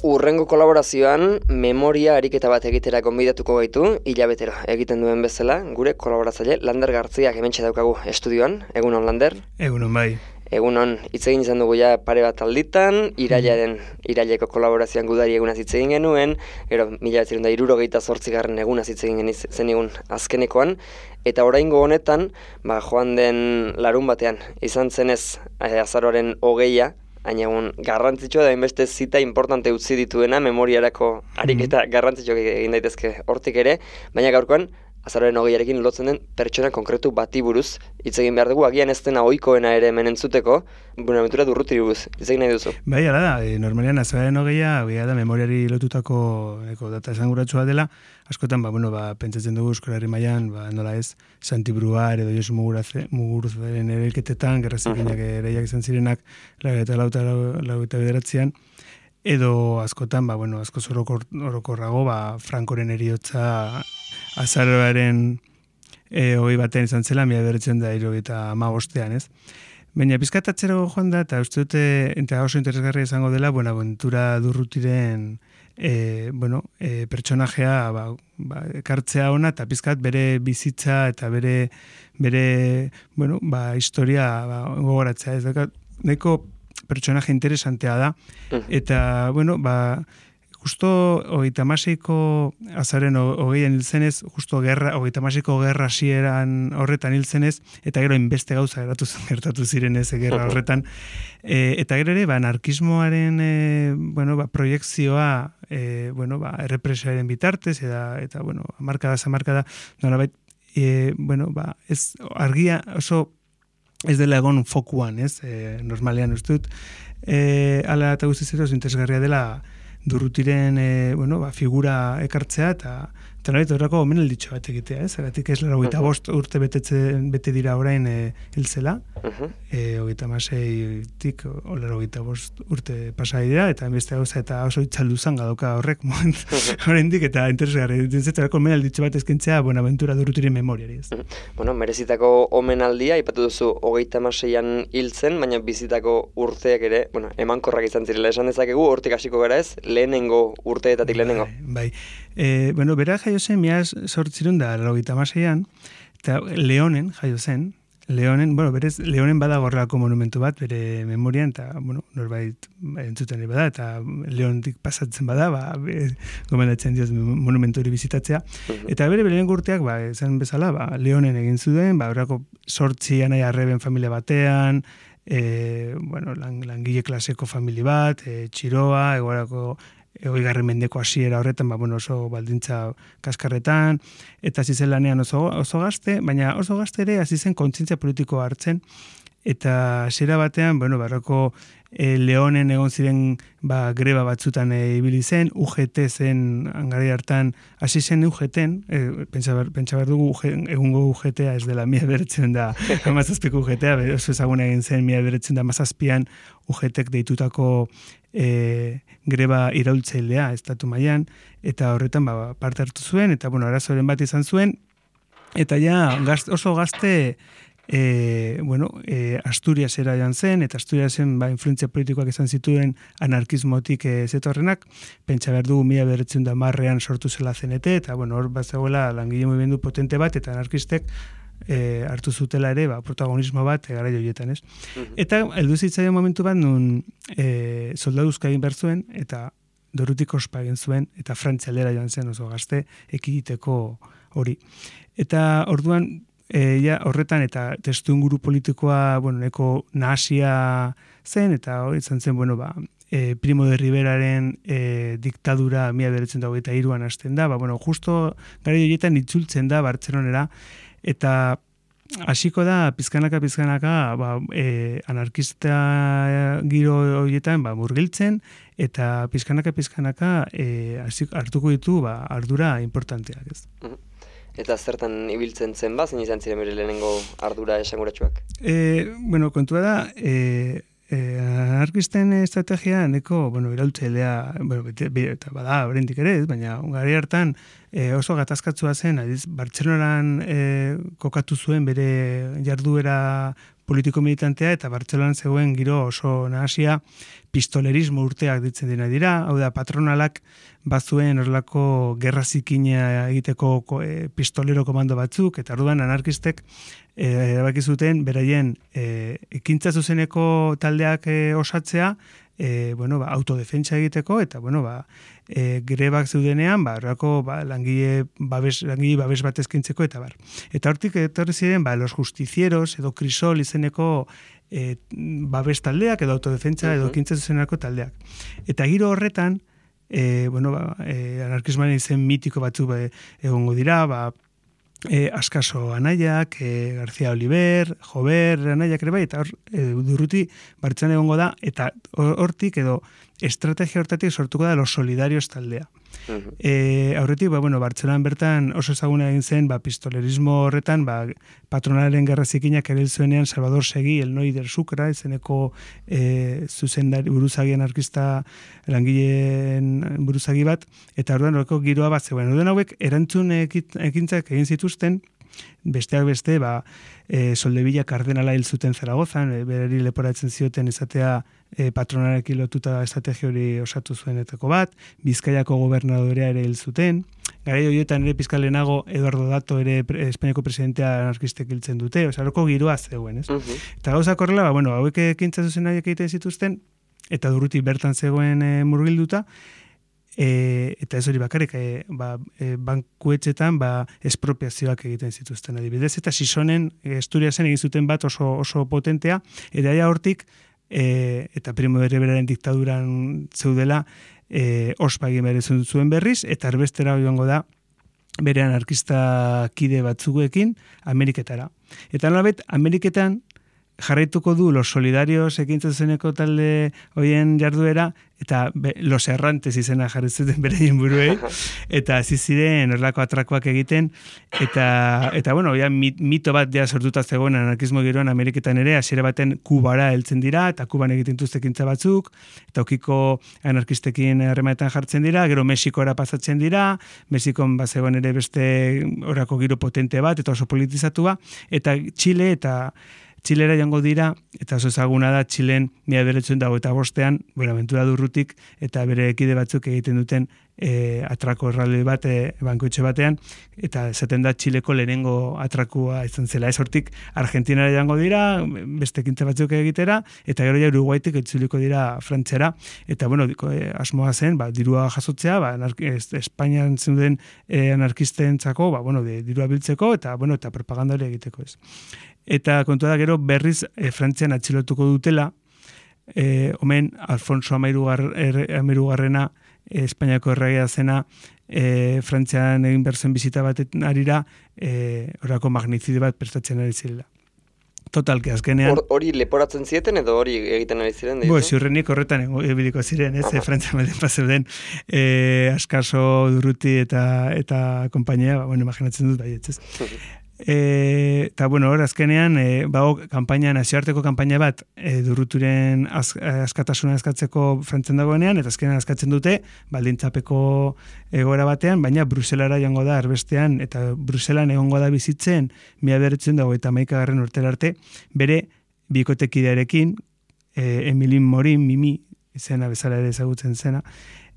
Urrengo kolaborazioan memoria ariketa bat egitera gonbidatuko gaitu, hilabetero egiten duen bezala, gure kolaboratzaile Lander Gartziak hementxe daukagu estudioan. Egunon, Lander? Egunon, bai. Egunon, hitz egin izan dugu ja pare bat alditan, iraileko kolaborazioan gudari egunaz hitz egin genuen, gero 1968 egunaz hitz egin zenigun azkenekoan, eta oraingo honetan, joan den larun batean, izan zenez azaroaren 20, hain egun garrantzitsua da inbeste zita importante utzi dituena memoriarako ariketa garrantzitsuak egin daitezke hortik ere, baina gaurkoan azaroaren 20arekin lotzen den pertsona konkretu bati buruz hitz egin behar dugu, agian ez dena ohikoena ere hemen entzuteko, Buenaventura Durrutiri buruz, hitz egin nahi duzu. Bai, hala da, normalean azaroaren 20a da memoriari lotutako data esanguratsua dela, askotan pentsatzen dugu Euskal Herri mailan, nola ez, Santi Bruar edo Josu Muguruzaren erailketetan, gerra zikinak ereiak izan zirenak, 1989an, edo askotan, askoz orokorrago, Frankoren heriotza azaroaren 21 izan zela, 1975an, ez? Baina pizkatatzero joan da, eta uste dute, eta oso interesgarria izango dela, Buenaventura Durrutiren pertsonajea ekartzea ona, eta pizkat bere bizitza eta bere historia gogoratzea. Ez da, nahiko pertsonaje interesantea da, eta, justo 36ko azaren 20an hilzenez, justo 36ko gerra hasieran horretan hilzenez, eta gero inbeste gauza gertatu ziren ez gerra horretan, eta gero ere, anarkismoaren proiekzioa errepresioaren bitartez, eta hamarkada, nolabait, ez argia oso ez dela egon fokuan, ez? Normalean uste dut, ala eta guztiz edo interesgarria dela Durrutiren figura ekartzea eta nolabait horrako omenalditxo bat egitea, ez? Agatik ez 85 urte bete dira orain hilzela, 36tik 85 urte pasa dira, eta beste gauza eta oso itzalduzan gadoka horrek oraindik eta interesgarri. Ditzetarako omenalditxo bat eskentzea Buenaventura Durrutiren memoriari, ez? Merezitako omenaldia, ipatu duzu 36an hiltzen, baina bizitako urteak ere, emankorrak izan zirela esan dezakegu, hortik hasiko gara ez, lehenengo urteetatik lehenengo. Bai. Bera jaio zen, 1986an, eta Leonen jaio zen, berez, Leonen bada gorrelako monumentu bat, bere memorian, eta, norbait entzuten bada, eta Leontik pasatzen bada, gomendatzen dioz monumentu hori bizitatzea, eta bere lehenengo urteak, esan bezala, Leonen egin zuen, horrako 8 anai arreben familia batean, langile klaseko familia bat, txiroa, egorako 20. mendeko hasiera horretan, oso baldintza kaskarretan, eta hasi zen lanean oso gazte, baina oso gazte ere hasi zen kontzientzia politikoa hartzen, eta hasiera batean, barroko Leonen egon ziren greba batzutan ibili zen, UGT zen angari hartan, hasi zen UGT-en, pentsa behar dugu egungo UGT-a ez dela 1917ko UGT-a, oso ezaguna egin zen 1917an UGT-ek deitutako greba iraultzailea estatu mailan, eta horretan parte hartu zuen, eta arazoren bat izan zuen, eta ja oso gazte Asturiasera joan zen, eta Asturiasen influentzia politikoak izan zituen anarkismotik zetorrenak, pentsa behar dugu 1910an sortu zela CNT, eta hor bat zegoela langile mugimendu potente bat, eta anarkistek hartu zutela ere, protagonismo bat gara joietan, ez? Eta heldu zitzaion momentu bat nun soldaduzka egin behar zuen, eta Durrutik ospa egin zuen, eta Frantzia aldera joan zen oso gazte ekiditeko hori. Eta orduan, horretan eta testuinguru politikoa, neko nahasia zen, eta hori izan zen, Primo de Riveraren diktadura 1923an hasten da, justo gara joietan itzultzen da Bartzelonera, eta hasiko da pizkanaka anarkista giro horietan murgiltzen, eta pizkanaka hartuko ditu ardura importanteak, ez. Eta zertan ibiltzen zen zein izan ziren bere lehenengo ardura esanguratsuak? Kontua da, anarkisten estrategia neko, iraultzailea, eta bada, oraindik ere, baina gari hartan oso gatazkatsua zen, Bartzelonan kokatu zuen bere jarduera politiko militantea, eta Bartzelonan zegoen giro oso nahasia pistolerismo urteak ditzen dira, hau da, patronalak bazuen horrelako gerra zikina egiteko pistolero komando batzuk, eta orduan anarkistek erabaki zuten beraien ekintza zuzeneko taldeak osatzea, autodefentsa egiteko, eta grebak zeudenean, langile babes bat eskintzeko, eta bar. Eta hortik etorri ziren, los justicieros edo crisol izeneko babes taldeak, edo autodefentsa edo ekintza zuzeneko taldeak. Eta giro horretan, anarkismoaren izen mitiko batzuk egongo dira, Askaso anaiak, García Oliver, Jover anaiak ere bai, eta Durruti Bartzelonan egongo da, eta hortik edo estrategia hortatik sortuko da Los Solidarios taldea. Aurretik, Bartzelonan bertan oso ezaguna egin zen, pistolerismo horretan, patronalen gerra zikinak ere zuenean Salvador Segui, el Noi del Sucre, izeneko zuzendari buruzagi anarkista langileen buruzagi bat, eta orduan horreko giroa bat zegoen. Orduan hauek erantzun ekintzak egin zituzten, besteak beste, Soldevilla kardenala hil zuten Zaragozan, berari leporatzen zioten izatea patronalekin lotuta estrategia hori osatu zuenetako bat, Bizkaiako gobernadorea ere hil zuten, garai horietan ere pizka lehenago Eduardo Dato ere Espainiako presidentea anarkistek hiltzen dute, horreko giroa zegoen, ez? Eta gauzak horrela, hauek ekintza zuzenaiak egiten zituzten, eta Durruti bertan zegoen murgilduta, eta ez hori bakarrik, bankuetxetan espropiazioak egiten zituzten adibidez, eta Sisonen Asturiasen egin zuten bat oso potentea, eta hortik, eta Primo de Riveraren diktaduran zeudela, ospa egin behar zuen berriz, eta erbestera joango da, bere anarkista kide batzuekin Ameriketara. Eta nolabait, Ameriketan jarraituko du Los Solidarios ekintza zuzeneko talde hoien jarduera, eta Los Errantes izena jarri zuten beraien buruei, eta hasi ziren horrelako atrakoak egiten, eta mito bat sortuta zegoen anarkismo giroan Ameriketan ere, hasiera baten Kubara heltzen dira, eta Kuban egiten dituzte ekintza batzuk, eta okiko anarkistekin harremanetan jartzen dira, gero Mexikora pasatzen dira, Mexikon bazegoen ere beste horako giro potente bat, eta oso politizatua, eta Txilera joango dira, eta oso ezaguna da Txilen 1925 Buenaventura Durrutik eta bere ekide batzuk egiten duten atrako erraloi bat bankuetxe batean, eta esaten da Txileko lehenengo atrakua izan zela. Ez hortik Argentinara joango dira, beste ekintza batzuk egitera, eta gero ja Uruguaitik itzuliko dira Frantziara, eta asmoa zen, dirua jasotzea, Espainian zeuden anarkistentzako, dirua biltzeko, eta propaganda hori egiteko ez. Eta kontua da gero berriz Frantzian atxilotuko dutela, omen Alfonso Hamahirugarrena Espainiako erregea zena Frantzian egin berzen bizita baten arira horako magnizide bat prestatzen ari zirela. Totalki azkenean... Hori leporatzen zieten edo hori egiten ari ziren? Ziurrenik horretan ebiliko ziren, ez? Frantzian baten paseuden Askaso, Durruti eta kompainia, imaginatzen dut baietz, ez? Eta hor azkenean kanpaina, nazioarteko kanpaina bat Durruturen askatasuna eskatzeko Frantzian dagoenean, eta azkenean eskatzen dute baldintzapeko egoera batean, baina Bruselara joango da erbestean, eta Bruselan egongo da bizitzen 1921 urtera arte, bere bikotekidearekin, Emilin Morin, Mimi izena bezala ere ezagutzen zena,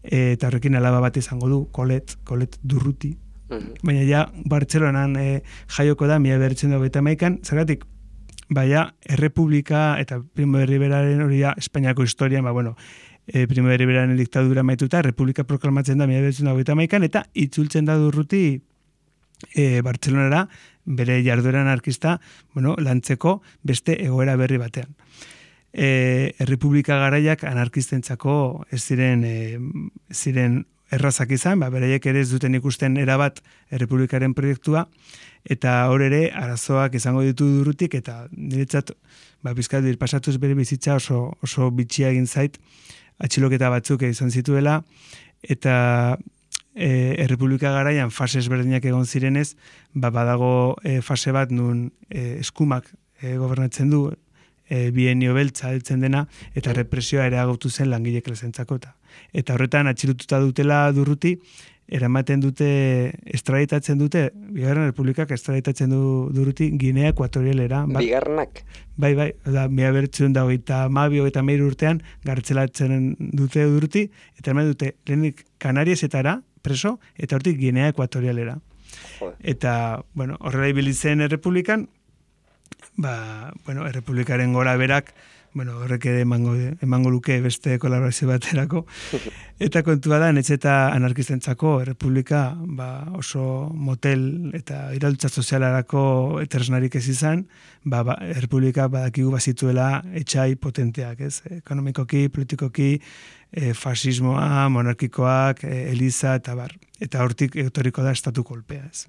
eta horrekin alaba bat izango du, Colette Durruti. Baina ja Bartzelonan jaioko da 1921, zergatik Errepublika eta Primo de Riveraren hori da Espainiako historian, Primo de Riveraren diktadura maituta, Errepublika proklamatzen da 1921, eta itzultzen da Durruti Bartzelonara bere jarduera anarkista lantzeko beste egoera berri batean. Errepublika garaiak anarkistentzako ez ziren errazak izan, beraiek ere ez duten ikusten erabat Errepublikaren proiektua, eta hor ere arazoak izango ditu Durrutik, eta niretzat bizkat pasatuz bere bizitza oso bitxia egin zait, atxiloketa batzuk izan zituela, eta Errepublika garaian fase ezberdinak egon zirenez, badago fase bat nun eskumak gobernatzen du, bienio beltza heltzen dena, eta represioa ere agotu zen langile klasentzako. Eta horretan atxilotuta dutela Durruti, eramaten dute, estraditatzen dute, Bigarren Errepublikak estraditatzen du Durruti Ginea Ekuatorialera. Bigarrenak? Bai, da, 1923 urtean gartzelatzen dute Durruti, eta eraman dute, lehenik Kanariesetara preso, eta hortik Ginea Ekuatorialera. Eta, bueno, horrela ibili zen Errepublikan, Errepublikaren gora berak, horrek ere emango luke beste kolaborazio baterako. Eta kontua da, netxe eta anarkistentzako Errepublika oso motel eta iraultza sozialarako etresnarik ez izan, Errepublika badakigu bazituela etxai potenteak, ez? Ekonomikoki, politikoki, fasismoa, monarkikoak, eliza eta bar. Eta hortik etorriko da estatu kolpea, ez?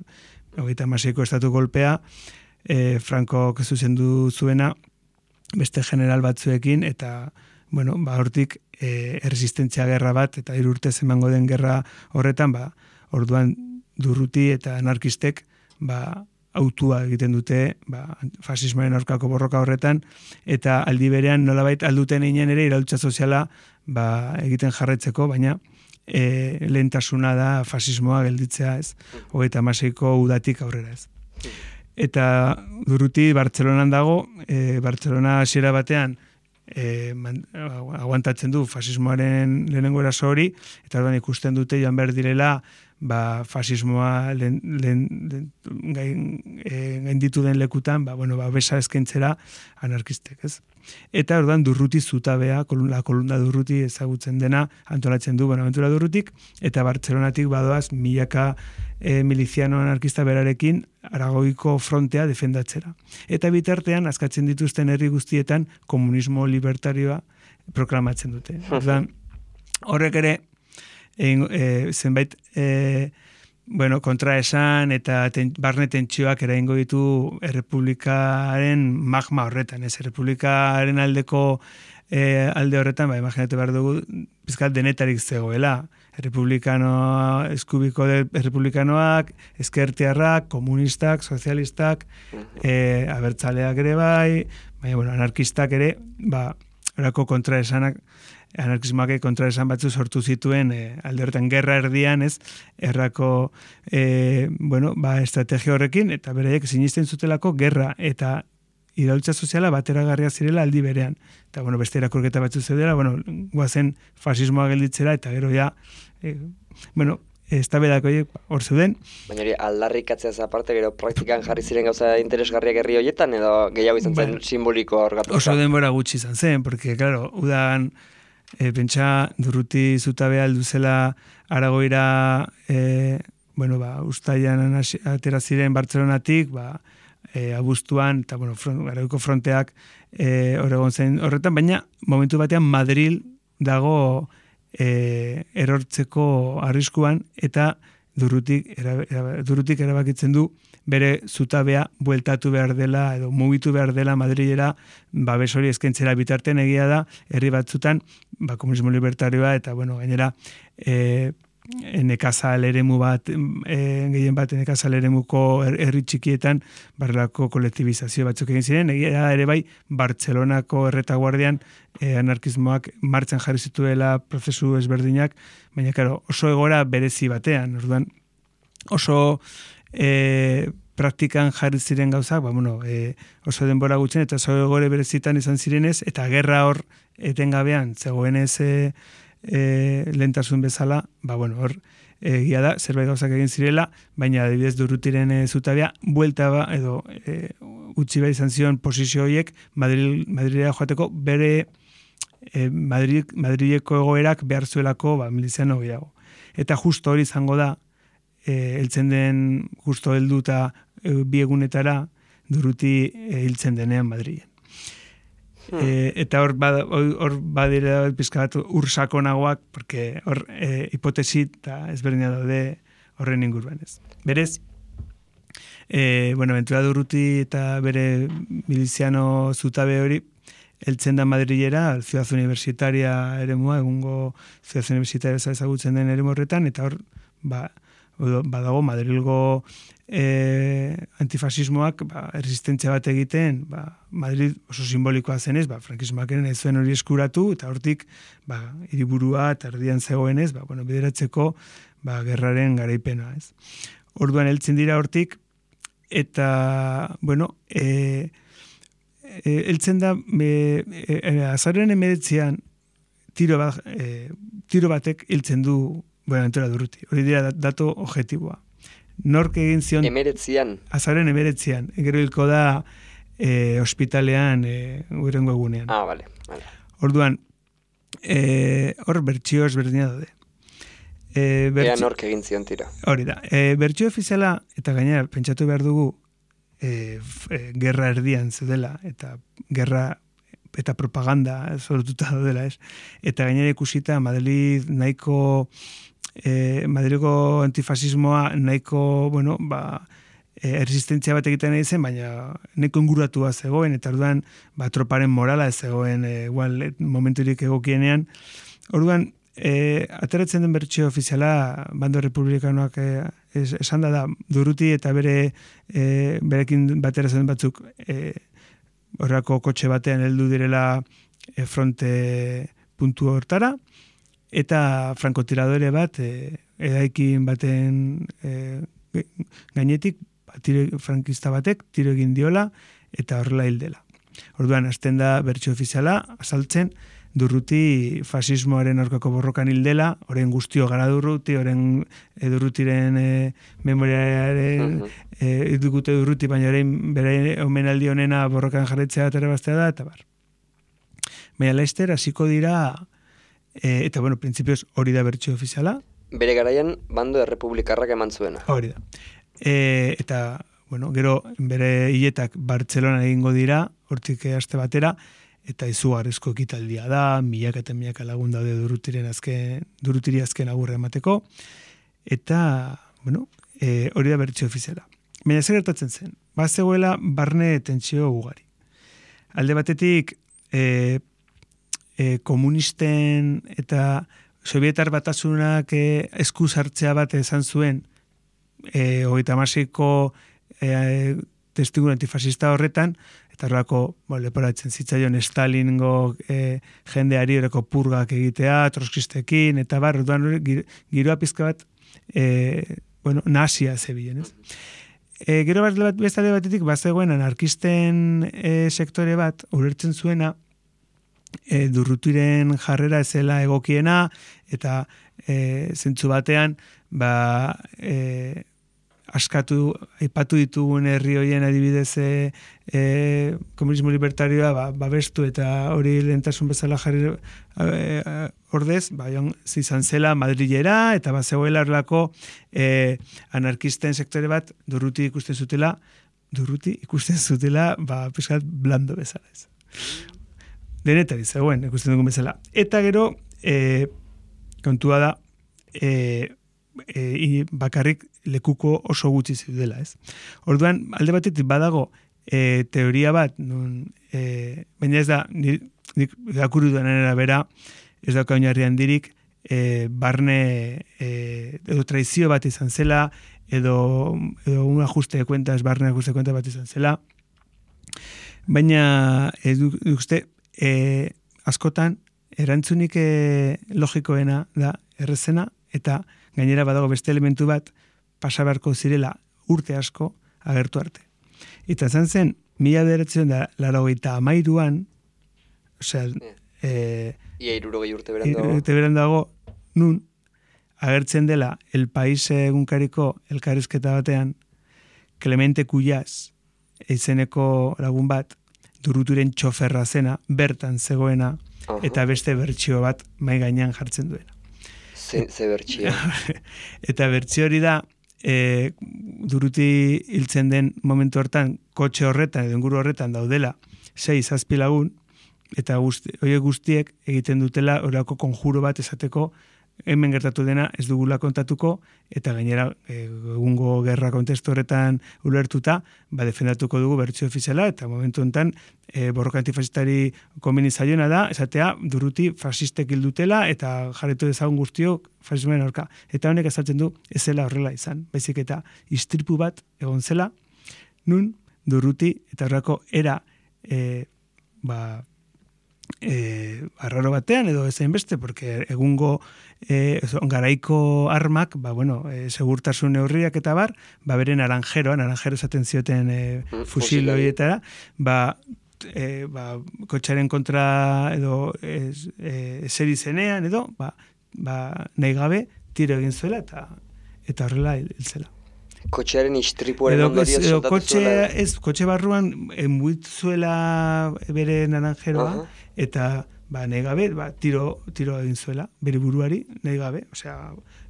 36ko estatu kolpea, Franco zuzendu zuena, beste general batzuekin, eta, hortik erresistentzia gerra bat, eta 3 urtez emango den gerra horretan, orduan Durruti eta anarkistek, autua egiten dute, fasismoaren aurkako borroka horretan, eta aldi berean nolabait alduten einen ere iraultza soziala egiten jarraitzeko, baina lehentasuna da fasismoa gelditzea, ez? 36ko udatik aurrera, ez? Eta Durruti Bartzelonan dago, Bartzelona hasiera batean aguantatzen du fasismoaren lehenengo eraso hori, eta orduan ikusten dute joan behar direla fasismoa gainditu den lekutan, besa eskaintzera anarkistek, ez? Eta orduan Durruti zutabea, la kolumna Durruti ezagutzen dena, antolatzen du Bonaventura Durrutik, eta Bartzelonatik badoaz milaka miliziano anarkista berarekin Aragoiko frontea defendatzera. Eta bitartean, askatzen dituzten herri guztietan, komunismo libertarioa proklamatzen dute. Orduan, horrek ere, zenbait kontraesan eta barne tentsioak eraingo ditu Errepublikaren magma horretan, ez? Errepublikaren aldeko alde horretan, imaginatu behar dugu, pizkat denetarik zegoela. Eskubiko errepublikanoak, ezkertiarrak, komunistak, sozialistak, abertzaleak ere bai, baina anarkistak ere, horako kontraesanak, anarkismoak kontraesan batzu sortu zituen alde horretan gerra erdian, ez, errako estrategia horrekin, eta beraiek sinisten zutelako gerra eta iraultza soziala bateragarria zirela aldi berean. Eta, beste irakurketa batzu zeudela, guazen fasismoa gelditzera, eta gero ja, ez da bedako hor zeuden. Baina hori aldarrikatzeaz aparte, gero praktikan jarri ziren gauza interesgarriak herri horietan, edo gehiago izan zen simboliko hor gatuta? Oso denbora gutxi izan zen, porque, claro, udan, pentsa Durruti zutabea alduzela Aragoira, ustailan atera ziren Bartzelonatik, abuztuan, eta, Aragoiko fronteak egon zen horretan, baina momentu batean Madril dago erortzeko arriskuan, eta Durrutik erabakitzen du bere zutabea bueltatu behar dela, edo mugitu behar dela Madrilera, babes hori eskaintzera bitartean egia da, herri batzutan, komunismo libertarioa, eta, gainera, nekazal eremu bat, gehien bat nekazal eremuko herri txikietan barrelako kolektibizazio batzuk egin ziren, egia ere bai Bartzelonako erretaguardian anarkismoak martxan jarri zituela prozesu ezberdinak, baina claro, oso egora berezi batean, orduan oso praktikan jarri ziren gauzak, oso denbora gutxen eta oso egore berezitan izan zirenez, eta gerra hor etengabean zegoenez lehentasun bezala, hor egia da, zerbait gauzak egin zirela, baina adibidez Durrutiren zutabea, buelta edo utzi behar izan zion posizio horiek Madrilera joateko bere Madrileko egoerak behar zuelako miliziano gehiago. Eta justo hori izango da, heltzen den justo helduta bi egunetara Durruti hiltzen denean Madrilen. Eta hor badira pizka bat ursakonagoak, porque hor hipotesi eta ezberdina daude horren inguruan ez. Berez, Ventura Durruti eta bere miliziano zutabe hori heltzen da Madrilera, Ciudad Universitaria eremua, egungo Ciudad Universitaria ezagutzen den eremu horretan, eta hor badago Madrilgo antifasismoak erresistentzia bat egiten, Madrid oso simbolikoa zenez, frankismoak ez zuen hori eskuratu, eta hortik hiriburua eta erdian zegoenez, bideratzeko gerraren garaipena, ez. Orduan heltzen dira hortik, eta, heltzen da, azaroaren 19an, tiro batek hiltzen du Buenaventura Durruti. Hori dira dato objektiboa. Nork egin zion... Azaroaren 19an. Gero hilko da ospitalean urrengo egunean. Vale. Orduan, hor bertsio ezberdina daude. Ea nork egin zion tiro. Hori da. Bertsio ofiziala, eta gainera, pentsatu behar dugu, gerra erdian zedela, eta gerra eta propaganda sortuta daudela, ez? Eta gainera ikusita Madrilgo antifasismoa nahiko, erresistentzia bat egiten nahi zen, baina nahiko inguratua zegoen, eta orduan, troparen morala ez zegoen, igual, momenturik egokienean. Orduan, ateratzen den bertsio ofiziala, bando republikanoak esan da, Durruti eta berekin batera zen batzuk, horrako kotxe batean heldu direla fronte puntu hortara, eta frankotiradore bat edaikin baten gainetik frankista batek tiro egin diola eta horrela hildela. Orduan, hasten da bertsio ofiziala, azaltzen Durruti fasismoaren aurkako borrokan hildela, orain guztio gara Durruti, orain Durrutiren memoriaren dugute Durruti, baina orain bere omenaldi honena borrokan jarretzea eta bastea da, eta bar. Baina laizter, hasiko dira, eta printzipioz hori da bertsio ofiziala. Bere garaian, bando errepublikarrak eman zuena. Hori da. Eta, gero bere hiletak Bartzelonan egingo dira, hortik aste batera, eta izugarrizko ekitaldia da, milaka eta milaka lagun daude Durrutiri azken agurra emateko, eta, hori da bertsio ofiziala. Baina zer gertatzen zen? Bazegoela barne tentsio ugari. Alde batetik, komunisten eta Sovietar Batasunak eskuz hartzea bat izan zuen, 36ko testigu antifasista horretan, eta horrako leporatzen zitzaion Stalingo jendeari horreko purgak egitea, troskistekin, eta orduan giroa pizka bat nazia zebilen, ez? Gero bestalde batetik, bazegoen anarkisten sektore bat, ulertzen zuena, Durrutiren jarrera ezela egokiena, eta zentzu batean, aipatu ditugun herri horien adibidez komunismo libertarioa babestu eta hori lehentasun bezala jarri ordez, izan zela Madrilera eta bazegoela horrelako anarkisten sektore bat Durruti ikusten zutela pizkat blando bezala ez. Denetari zegoen ikusten dugun bezala. Eta gero kontua da bakarrik lekuko oso gutxi zeudela, ez? Orduan, alde batetik badago teoria bat, baina ez da, nik irakurri duenan arabera, ez dauka oinarri handirik, barne edo traizio bat izan zela, edo un ajuste de cuentas, barne ajuste de cuentas bat izan zela, baina uste, askotan, erantzunik logikoena da errezena, eta gainera badago beste elementu bat pasa beharko zirela urte asko agertu arte. Eta izan zen, 1983an, osea... Ia 60 urte berandago. Urte berandago, nun, agertzen dela El País egunkariko elkarrizketa batean, Clemente Cuyaz, izeneko lagun bat, Durrutiren txoferra zena, bertan zegoena, eta beste bertsio bat mai gainean jartzen duena. Ze bertsio. Eta bertsio hori da, Durruti hiltzen den momentu hortan, kotxe horretan, edo inguru horretan daudela, 6-7 lagun, eta horiek guztiek egiten dutela horako konjuro bat esateko hemen gertatu dena ez dugula kontatuko, eta gainera egungo gerra kontestu horretan ulertuta, defendatuko dugu bertsio ofiziala, eta momentu honetan borroka antifasistari komeni zaiona da, esatea Durruti fasistek hildutela, eta jarretu dezagun guztiok fasismoen aurka. Eta honek azaltzen du ez zela horrela izan, baizik eta istripu bat egon zela, nun Durruti eta horrako era arraro batean edo ezein beste, porque egungo garaiko armak, segurtasun neurriak eta beren naranjero esaten zioten fusil horietara, kotxaren kontra edo eseri zenean edo, nahi gabe tiro egin zuela eta horrela hil zela. Kotxearen istripuaren ondorioz soldatu zuela? Kotxe barruan muitzuela bere naranjeroa, eta nahi gabe, tiro egin zuela, bere buruari, nahi gabe,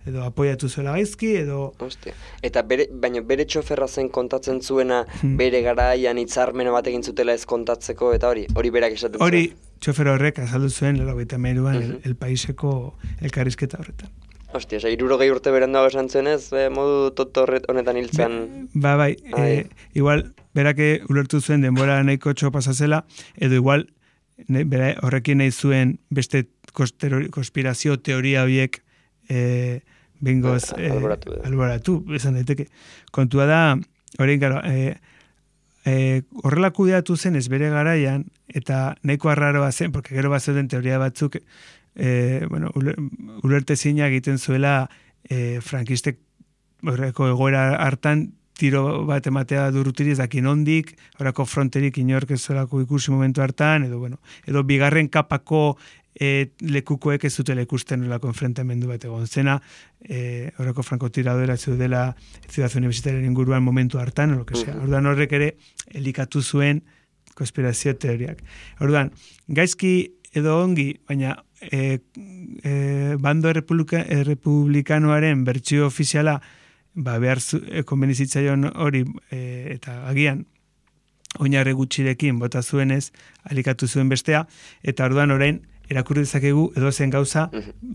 edo apoiatu zuela gaizki, edo... Hostia. Eta baina bere txoferra zen kontatzen zuena, bere garaian hitzarmena bat egin zutela ez kontatzeko, eta hori berak esaten zuen? Hori, txofer horrek azaldu zuen, 93an, El Paiseko elkarrizketa horretan. Hostia, 60 urte beranduago esan zuenez, modu honetan hiltzen... Igual, berake ulertu zuen denbora nahiko pasazela, edo igual, horrekin nahi zuen beste konspirazio teoria horiek bengoz alboratu, esan daiteke. Kontua da, horrein gara, horrela kudeatu zen ez bere garaian, eta nahiko arraroa zen, porque gero bat zeuden teoria batzuk, ulertezina egiten zuela frankistek horreko egoera hartan tiro bat ematea Durrutiri ez dakin ondik, horreko fronterik inork ez zelako ikusi momentu hartan, edo bigarren kapako lekukoek ez zutela ikusten horrelako enfrentamendu bat egon zena, horreko frankotiradora zeudela Ciudad Universitaria inguruan momentu hartan, orduan horrek ere elikatu zuen konspirazio teoriak. Orduan, gaizki edo ongi, baina bando republikanoaren bertsio ofiziala behar konbenizitzaion hori eta agian oinarri gutxirekin bota zuenez alikatu zuen bestea, eta orduan orain erakurri dezakegu edo zen gauza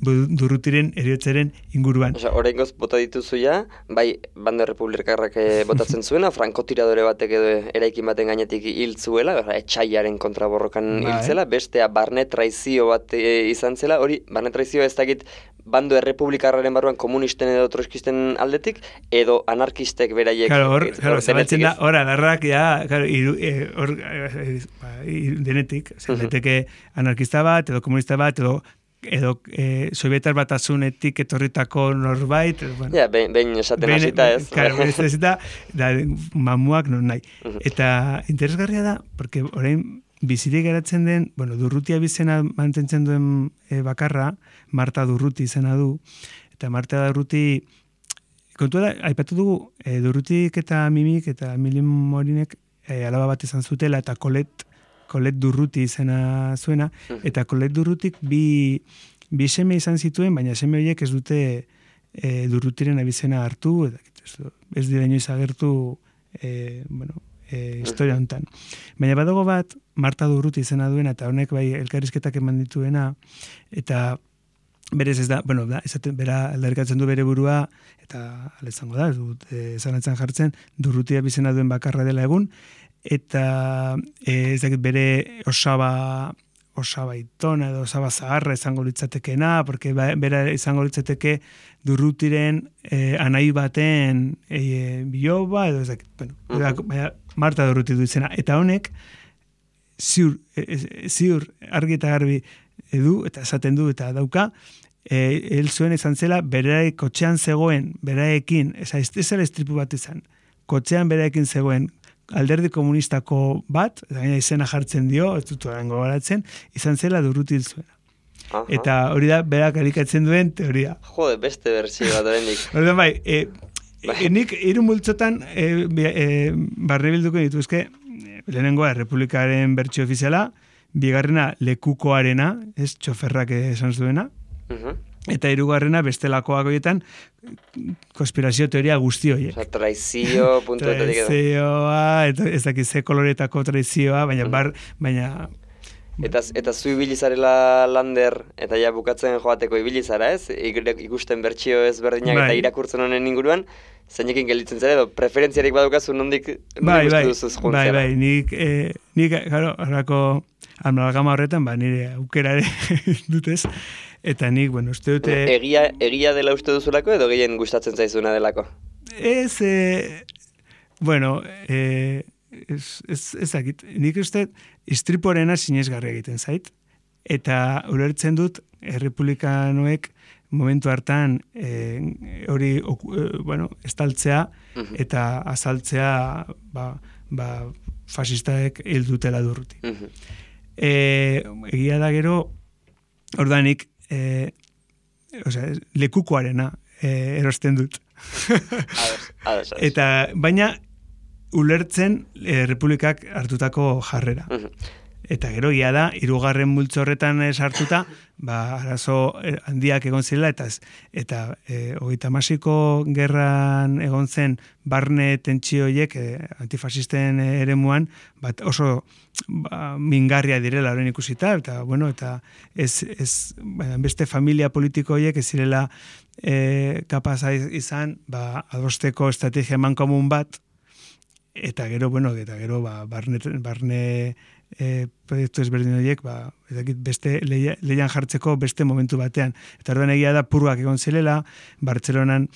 Durrutiren heriotzaren inguruan. Oraingoz bota dituzu ja, bai bando republikarrak botatzen zuena, frankotiradore batek edo eraikin baten gainetik hil zuela, etxaiaren kontra borrokan hil zela, bestea barne traizio bat izan zela, hori barne traizio ez dakit bando errepublikarraren barruan komunisten edo troskisten aldetik, edo anarkistek beraiek... Claro, zabaltzen da, alarrak, denetik, zeteke anarkista bat, edo komunista bat, edo Sovietar Batasunetik etorritako norbait... Behin esaten hasita ez. Claro, behin hasita, mamuak non nahi. Eta interesgarria da, porque orain bizirik geratzen den, Durrutia bizena mantentzen duen bakarra, Marta Durruti izena du, eta Marta Durruti, kontua da, aipatu dugu, Durrutik eta Mimik eta Emilien Morinek alaba bat izan zutela, eta Colette Durruti izena zuena, eta Colette Durrutik bi seme izan zituen, baina seme horiek ez dute Durrutiren abizena hartu, ez dira inoiz agertu, historia honetan. Baina badago bat, Marta Durruti izena duena, eta honek bai elkarrizketak eman dituena, eta berez ez da, bera aldarrikatzen du bere burua, eta aletzango da, zanatzen jartzen, Durrutia bizena duen bakarra dela egun, eta ez dakit bere osaba itona edo osaba zaharra izango litzatekena, porque bera izango litzateke Durrutiren anai baten biloba, edo ez dakit, baina Marta Durruti du izena, eta honek ziur argi eta garbi edu, eta esaten du, eta dauka, hel zuen izan zela, beraek kotxean zegoen, beraekin, ez zela estripu bat izan, kotxean beraekin zegoen, alderdi komunistako bat, izena jartzen dio, ez dut orango garatzen, izan zela Durruti hil zuena. Eta hori da, berak alikatzen duen teoria. Jode, beste berzio bat horrendik. Orduan bai, nik hiru multzotan barne bilduko dituzke, lehenengoa Errepublikaren bertsio ofiziala, bigarrena lekukoarena, ez txoferrak esan zuena, eta hirugarrena bestelakoak horietan konspirazio teoria guzti horiek. Traizio, puntuetatik edo. Traizioa, ez dakiz ze koloretako traizioa, baina Eta zu ibilizarela lander, eta ja bukatzen joateko ibilizara, ez? Ikusten bertsio ezberdinak eta irakurtzen honen inguruan, zeinekin gelditzen zara, edo preferentziarik badukazu nondik uste duzuz juntzera? Bai, nik claro, horako amalgama horretan, nire aukera ere dutez, eta nik, uste dute... Egia dela uste duzulako, edo gehien gustatzen zaizuna delako? Ez, ez dakit, nik uste istriporena sinesgarria egiten zait, eta ulertzen dut errepublikanoek momentu hartan hori estaltzea eta azaltzea fasistaek hil dutela Durruti. Egia da gero, ordanik lekukoarena erosten dut. Eta baina ulertzen Republikak hartutako jarrera. Eta gero, ia da, 3. multzo horretan sartuta, arazo handiak egon zirela, eta 36ko gerran egon zen barne tentsioiek antifasisten eremuan, oso mingarria direla horren ikusita, eta beste familia politikoiek ez zirela kapasa izan, adosteko estrategia emankomun bat, eta gero, barne proiektu ezberdin horiek, beste leian jartzeko beste momentu batean. Eta orduan egia da purgak egon zilela, Bartzelonan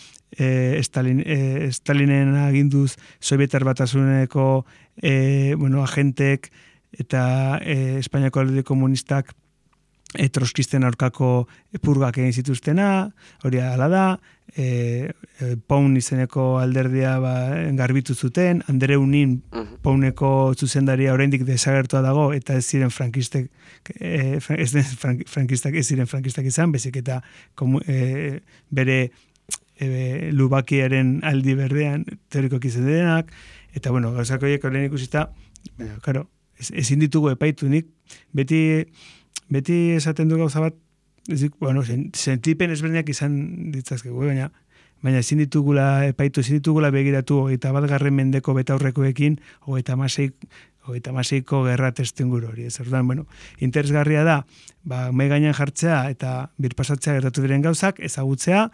Stalinen aginduz Sobietar Batasuneko agentek eta Espainiako Alderdi Komunistak troskisten aurkako purgak egin zituztena, hori hala da, Paun izeneko alderdia garbitu zuten, Andreu Nin Pauneko zuzendaria oraindik desagertua dago, eta ez ziren frankistak izan, bezik eta bere Lubakiaren aldi berdean teorikoak izan denak, eta gauzak horiek horren ikusita, ezin ditugu epaitu, beti esaten du gauza bat, sentipen ezberdinak izan ditzazkegu, baina ezin ditugula epaitu, ezin ditugula begiratu 21. mendeko betaurrekoekin 36ko gerra testenguru hori. Orduan, interesgarria da, mai gainean jartzea eta birpasatzea gertatu diren gauzak, ezagutzea,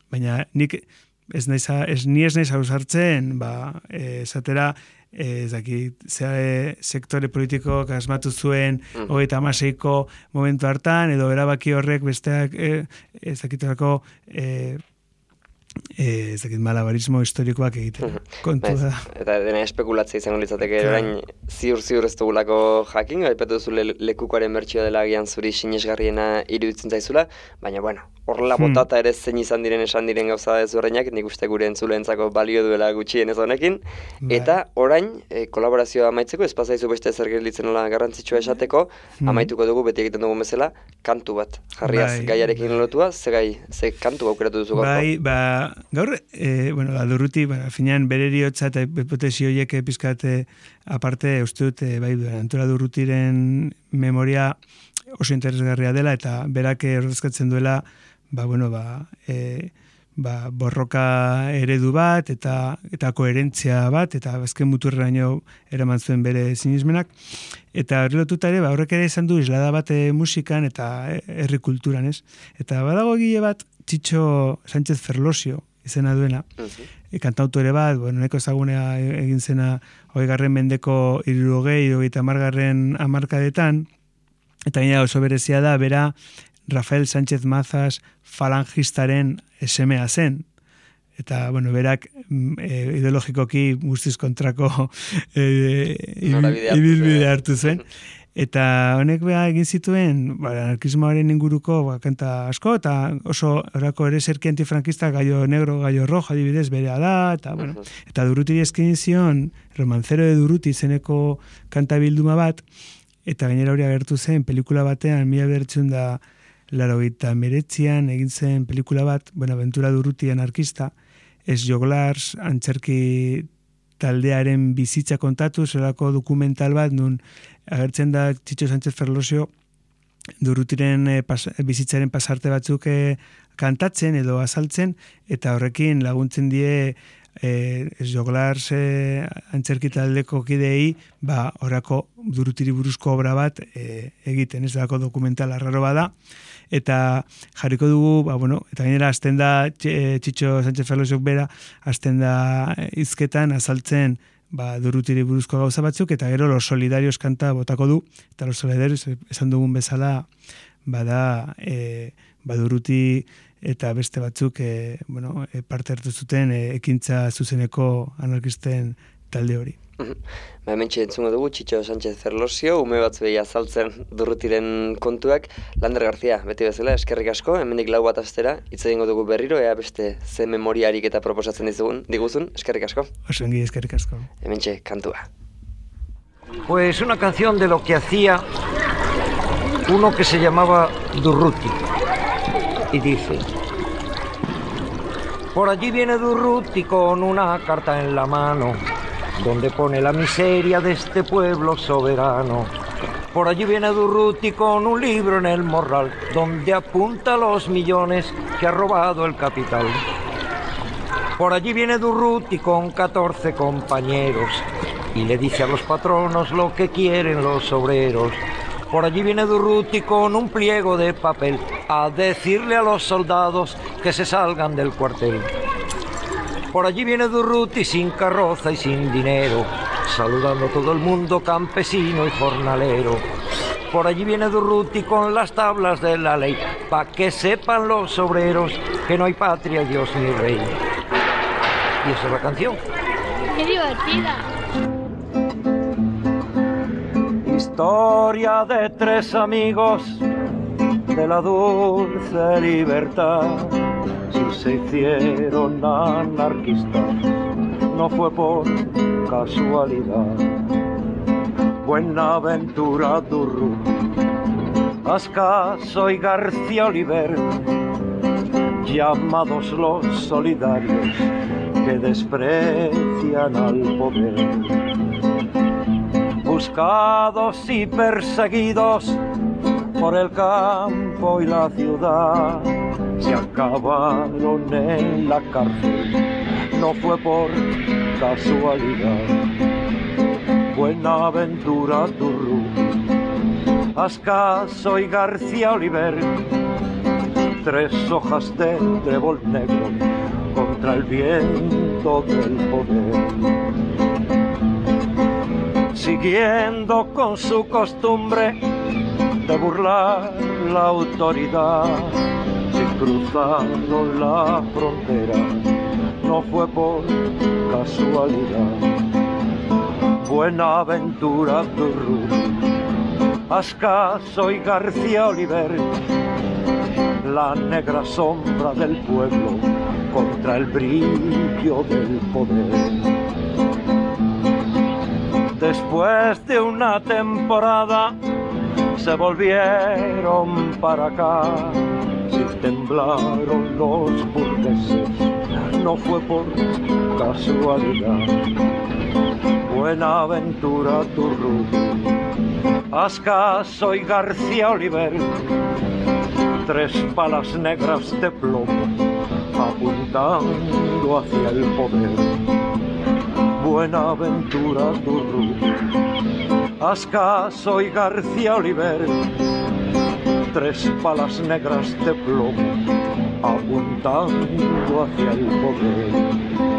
baina nik ez naiz ausartzen, esatera, sektore politikoak asmatu zuen 36ko momentu hartan, edo erabaki horrek besteak malabarismo historikoak egiten. Kontu da. Eta dena espekulatzea izango litzateke, orain ziur ez dugulako jakin, aipatu duzu lekukoaren bertsio dela agian zuri sinesgarriena iruditzen zaizula, baina horrela botata ere zein izan diren gauza ezberdinak, nik uste gure entzuleentzako balio duela gutxienez honekin, eta orain kolaborazioa amaitzeko, ez pasaizu beste zer gelditzen nola garrantzitsua esateko, amaituko dugu beti egiten dugu bezala, kantu bat, jarriaz gaiarekin lotua, ze kantu aukeratu duzu gaurko? Gaur, Durruti, finean bere eriotza eta hipotesi horiek pizkate aparte, uste dut, Antola Durrutiren memoria oso interesgarria dela, eta berak ordezkatzen duela, borroka eredu bat, eta koherentzia bat, eta azken muturreraino eraman zuen bere sinismenak, eta hori lotuta ere, horrek ere izan du islada bat musikan eta herri kulturan, ez? Eta badago egile bat, Txitxo Sánchez Ferlosio izena duena, kantautore bat, neko ezagunea egin zena 20. mendeko 60-70 hamarkadetan, eta gaina oso berezia da, bera Rafael Sánchez Mazas falangistaren semea zen. Eta, berak ideologikoki guztiz kontrako ibilbide hartu zen. Eta honek egin zituen anarkismoaren inguruko kanta asko, eta oso orako ere zerki antifrankista Gallo Negro, Gallo Rojo adibidez berea da, eta Durrutiri eskin zion Romancero de Durruti izeneko kanta bilduma bat, eta gainera hori agertu zen pelikula batean 1989an egin zen pelikula bat, Buenaventura Durruti anarkista, ez joglars antzerki taldearen bizitza kontatu, zelako dokumental bat, nun agertzen da Txitxo Sánchez Ferlosio Durrutiren bizitzaren pasarte batzuk kantatzen edo azaltzen, eta horrekin laguntzen die Joglars antzerki taldeko kideei, orako Durrutiri buruzko obra bat egiten, ez dako dokumental arraro bada, eta jarriko dugu, eta gainera azten da Txitxo Sánchez Ferlosiok bera, azten da hizketan azaltzen Durrutiri buruzko gauza batzuk, eta gero Los Solidarios kanta botako du, eta Los Solidarios esan dugun bezala, bada Durruti eta beste batzuk parte hartu zuten ekintza zuzeneko anarkisten talde hori. Hementxe entzungo dugu Txitxo Sánchez Ferlosio, ume batzuei azaltzen Durrutiren kontuak. Lander Garzia, beti bezala, eskerrik asko, hemendik 4 bat astera, hitz egingo dugu berriro, ea beste ze memoriarik eta proposatzen diguzun, eskerrik asko. Osongi, eskerrik asko. Hementxe kantua. Pues una canción de lo que hacía uno que se llamaba Durruti. Y dice: por allí viene Durruti con una carta en la mano, donde pone la miseria de este pueblo soberano. Por allí viene Durruti con un libro en el morral, donde apunta los millones que ha robado el capital. Por allí viene Durruti con 14 compañeros, y le dice a los patronos lo que quieren los obreros. Por allí viene Durruti con un pliego de papel a decirle a los soldados que se salgan del cuartel. Por allí viene Durruti sin carroza y sin dinero, saludando a todo el mundo campesino y jornalero. Por allí viene Durruti con las tablas de la ley, pa' que sepan los obreros que no hay patria, Dios ni rey. Y esa es la canción. ¡Qué divertida! Historia de 3 amigos de la dulce libertad. Si se hicieron anarquistas, no fue por casualidad. Buenaventura Durruti, Ascaso y García Oliver, llamados los solidarios que desprecian al poder. Buscados y perseguidos por el campo y la ciudad, se acabaron en la cárcel, no fue por casualidad. Buenaventura Durruti, Ascaso y García Oliver, 3 hojas de trébol negro contra el viento del poder. Siguiendo con su costumbre de burlar la autoridad, se cruzaron la frontera, no fue por casualidad. Buenaventura Durruti, Ascaso y García Oliver, la negra sombra del pueblo contra el brillo del poder. Después de una temporada se volvieron para acá, si temblaron los burgueses, no fue por casualidad. Buenaventura Durruti, Ascaso y García Oliver, 3 balas negras de plomo apuntando hacia el poder. Buenaventura Durruti, Ascaso y García Oliver, 3 balas negras de plomo apuntando hacia el poder.